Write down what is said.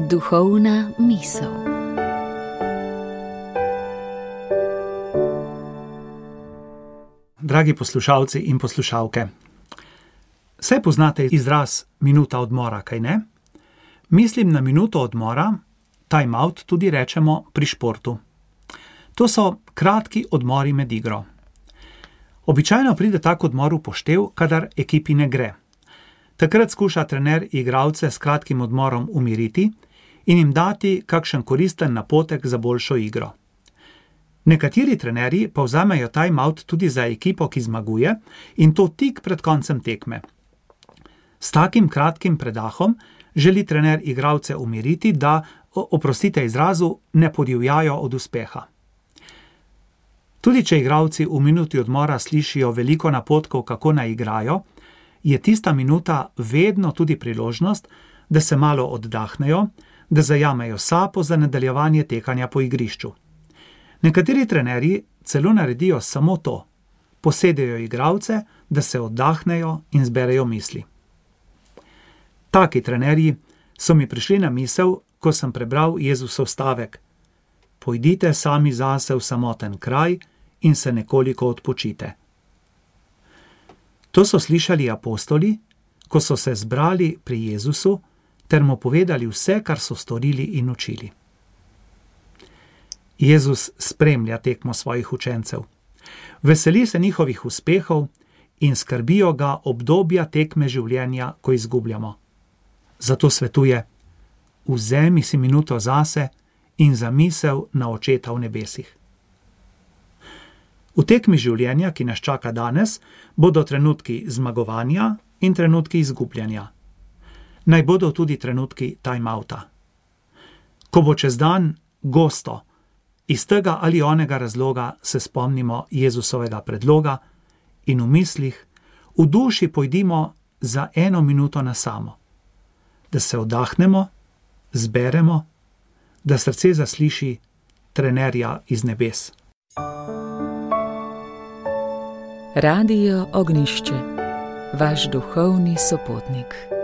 Duhovna misel. Dragi poslušalci in poslušalke, saj poznate izraz minuta odmora, kaj ne? Mislim na minuto odmora, time out tudi rečemo pri športu. To so kratki odmori med igro. Običajno pride tak odmor v poštev, kadar ekipi ne gre. Takrat skuša trener igralce s kratkim odmorom umiriti in jim dati kakšen koristen napotek za boljšo igro. Nekateri trenerji pa vzamejo time-out tudi za ekipo, ki zmaguje, in to tik pred koncem tekme. S takim kratkim predahom želi trener igralce umiriti, da, oprostite izrazu, ne podivjajo od uspeha. Tudi če igralci v minuti odmora slišijo veliko napotkov, kako naj igrajo, je tista minuta vedno tudi priložnost, da se malo oddahnejo, da zajamejo sapo za nadaljevanje tekanja po igrišču. Nekateri trenerji celo naredijo samo to, posedejo igralce, da se oddahnejo in zberejo misli. Taki trenerji so mi prišli na misel, ko sem prebral Jezusov stavek: Pojdite sami zase v samoten kraj in se nekoliko odpočite. To so slišali apostoli, ko so se zbrali pri Jezusu ter mu povedali vse, kar so storili in učili. Jezus spremlja tekmo svojih učencev. Veseli se njihovih uspehov in skrbijo ga obdobja tekme življenja, ko izgubljamo. Zato svetuje: vzemi si minuto zase in za misel na Očeta v nebesih. V tekmi življenja, ki nas čaka danes, bodo trenutki zmagovanja in trenutki izgubljanja. Naj bodo tudi trenutki time-outa. Ko bo čez dan gosto, iz tega ali onega razloga se spomnimo Jezusovega predloga in v mislih, v duši pojdimo za 1 minuto na samo. Da se oddahnemo, zberemo, da srce zasliši trenerja iz nebes. Radio Ognjišče, vaš duhovni sopotnik.